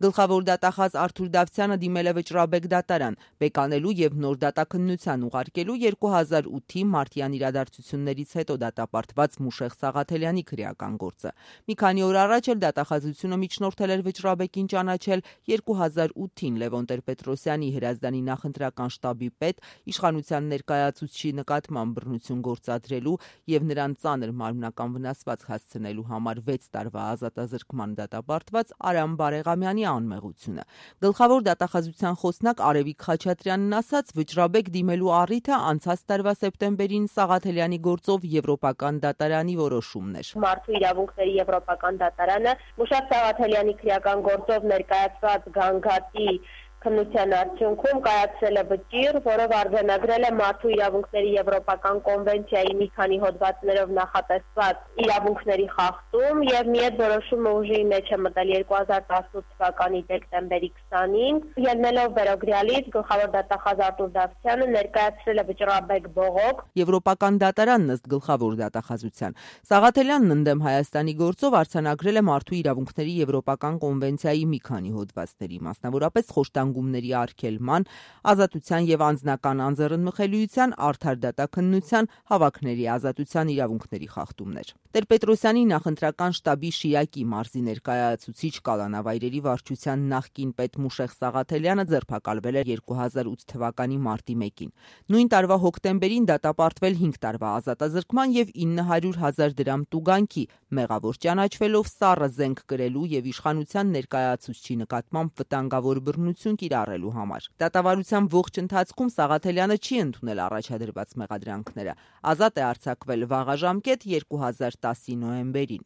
Գլխավոր դատախազ Արթուր Դավթյանը դիմել է վճռաբեկ դատարան, բեկանելու եւ նոր դատաքննության ուղարկելու 2008-ի մարտյան իրադարձություններից հետո դատապարտված Մուշեղ Սաղաթելյանի քրեական գործը։ Մի քանի օր առաջ էլ դատախազությունը միջնորդել էր վճռաբեկին ճանաչել 2008-ին Լևոն Տեր-Պետրոսյանի Հրազդանի նախընտրական շտաբի պետ, իշխանության ներկայացուցչի նկատմամբ բռնություն գործադրելու եւ նրան ծանր մարմնական վնասված հասցնելու համար 6 տարվա ազատազրկման դատապարտված Արամ Բարեղամյանի անմեղությունը։ Գլխավոր դատախազության խոսնակ Արևիկ Խաչատրյանն ասաց, վճռաբեկ դիմելու առիթը անցած տարվա սեպտեմբերին Սաղաթելյանի գործով Եվրոպական դատարանի որոշումն էր։ Մարդու իրավունքների Եվրոպական դատարանը Մուշեղ Սաղաթելյանի քրեական գործով ներկայացված գանգատի քննության արդյունքում կայացրել է վճիռ, որով արձանագրել է Մարդու իրավունքների Եվրոպական կոնվենցիայի մի քանի հոդվածներով նախատեսված իրավունքների խախտում եւ մի այդ որոշումը ուժի մեջ է մտել 2018 թվականի դեկտեմբերի 20-ին, ելնելով վերոգրյալից գլխավոր դատախազ Արթուր Դավթյանը ներկայացրել է վճռաբեկ բողոք Եվրոպական դատարանն ըստ գլխավոր դատախազության Սաղաթելյանն ընդդեմ Հայաստանի գործով արձանագրել է Մարդու իրավունքների Եվրոպական կոնվենցիայի մի քանի հոդվածների, մասնավորապես խոշտանգումների արգելման, ազատության եւ անձնական անձեռնմխելիության, արդար դատաքննության, հավաքների ազատության իրավունքների խախտումներ։ Տեր-Պետրոսյանի նախընտրական շտաբի Շիրակի մարզի ներկայացուցիչ կալանավայրերի վարչության նախկին պետ Մուշեղ Սաղաթելյանը ձերբակալվել է 2008 թվականի մարտի 1-ին։ Նույն տարվա հոկտեմբերին դատապարտվել 5 տարվա ազատազրկման եւ 900,000 դրամ տուգանքի, մեղավոր ճանաչվելով սառը զենք կրելու եւ իշխանության ներկայացուցչի նկատմամբ վտանգավոր բռնություն կիրառելու համար։ Դատավարության ողջ ընթացքում Սաղաթելյանը չի ընդունել առաջադրված մեղադրանքները։ Ազատ է արձակվել վաղաժամկետ 2010-ի նոյեմբերին։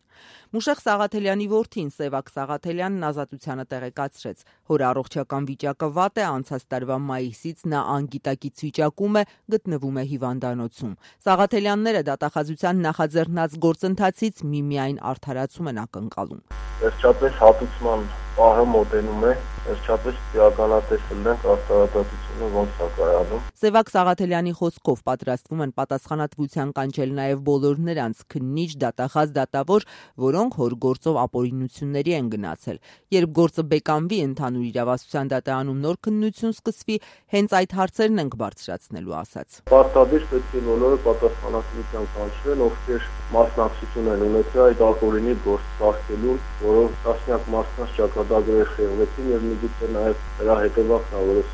Մուշեղ Սաղաթելյանի որդին Սևակ Սաղաթելյանն ազատությանը տեղեկացրեց։ Հոր առողջական վիճակը վատ է, անցած տարվա մայիսից նա անգիտակից վիճակում է, գտնվում է հիվանդանոցում։ Սաղաթելյանները դատախազության նախաձեռնած գործընթացից միմիայն արդարացում են ակնկալում։ Վերջապես հատուցման պահը մոտենում է, վերջապես իրականացնել ենք արտահայտությունը ոնց է կայանում։ Սևակ Սաղաթելյանի խոսքով պատրաստվում են պատասխանատվության կանչել նաև բոլոր նրանց քննիչ, դատախազ, դատավոր, որոնք հոր գործով ապօրինությունների են գնացել։ Երբ գործը բեկանվի, ընդհանուր իրավասության դատարանում նոր քննություն սկսվի, հենց այդ հարցերն ենք բարձրացնելու, ասաց։ Պարտադիր պետք է բոլորը պատասխանատվության կանչվեն, ովքեր մասնակցություն են ունեցել այդ ապօրինի գործ ծաղկելուն, որով տասնյակ մարդկանց ճակատագրեր խեղվեցին եւ միգուցե նաեւ դրա հետեւանքն է, որը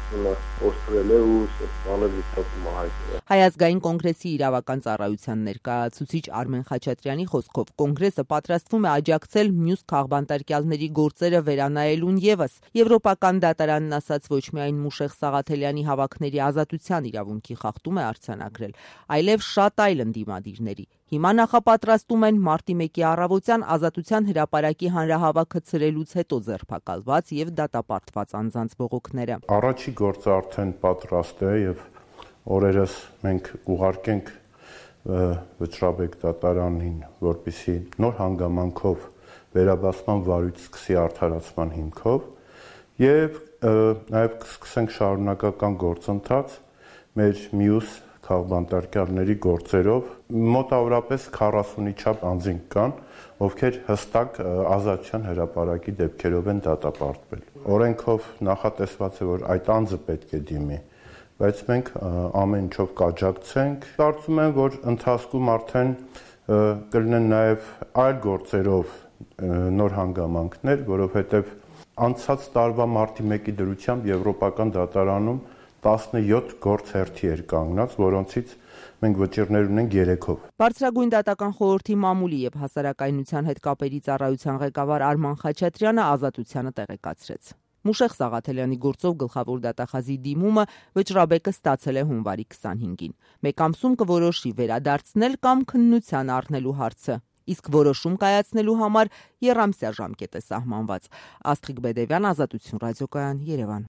առողջությունը օգտվել է ու սեփական վիճակում հայտնվել։ Հայ ազգային կոնգրեսի իրավական ծառայության ներկայացուցիչ Արմեն Խաչատրյանի խոսքով կոնգրեսը պատրաստվում է աջակցել մյուս քաղբանտարկյալների գործերը վերանայելուն եւս։ Եվրոպական դատարանն ասաց ոչ միայն Մուշեղ Սաղաթելյանի հավաքների ազատության իրավունքի խախտում է արձանագրել, այլև շատ այլ ընդդիմադիրների։ Հիմա նախապատրաստում են մարտի 1-ի առավոտյան Ազատության հրապարակի հանրահավաքը ցրելուց հետո ձերբակալված եւ դատապարտված անձանց բողոքները։ Առաջի գործը արդեն պատրաստ է եւ օրերս մենք ուղարկենք վճռաբեկ դատարանին, որպեսզի նոր հանգամանքով վերաբացման վարույց սկսի արդարացման հիմքով եւ նաեւ կսկսենք շարունակական գործընթաց մեր մյուս քաղբանտարկյալների գործերով մոտավորապես 40-ի չափ անձինք կան, ովքեր հստակ ազատության հրապարակի դեպքերով են դատապարտվել։ Օրենքով նախատեսված է, որ այդ անձը պետք է դիմի, բայց մենք ամեն ինչով կաջակցենք։ Կարծում եմ, որ ընթացքում արդեն կլինեն նաև այլ գործերով նոր հանգամանքներ, որովհետև անցած տարվա մարտի 1-ի դրությամբ Եվրոպական դատարանում 17 գործ հերթի էր կանգնած, որոնցից մենք վճիռներ ունենք 3-ով։ Բարձրագույն դատական խորհրդի մամուլի եւ հասարակայնության հետ կապերի ծառայության ղեկավար Արման Խաչատրյանը ազատությանը տեղեկացրեց։ Մուշեղ Սաղաթելյանի գործով գլխավոր դատախազի դիմումը վճռաբեկը ստացել է հունվարի 25-ին։ Մեկ ամսում կորոշի վերադարձնել կամ քննության առնելու հարցը։ Իսկ որոշում կայացնելու համար եռամսյա ժամկետ է սահմանված։ Աստղիկ Բեդևյան, Ազատություն ռադիոկայան, Երևան։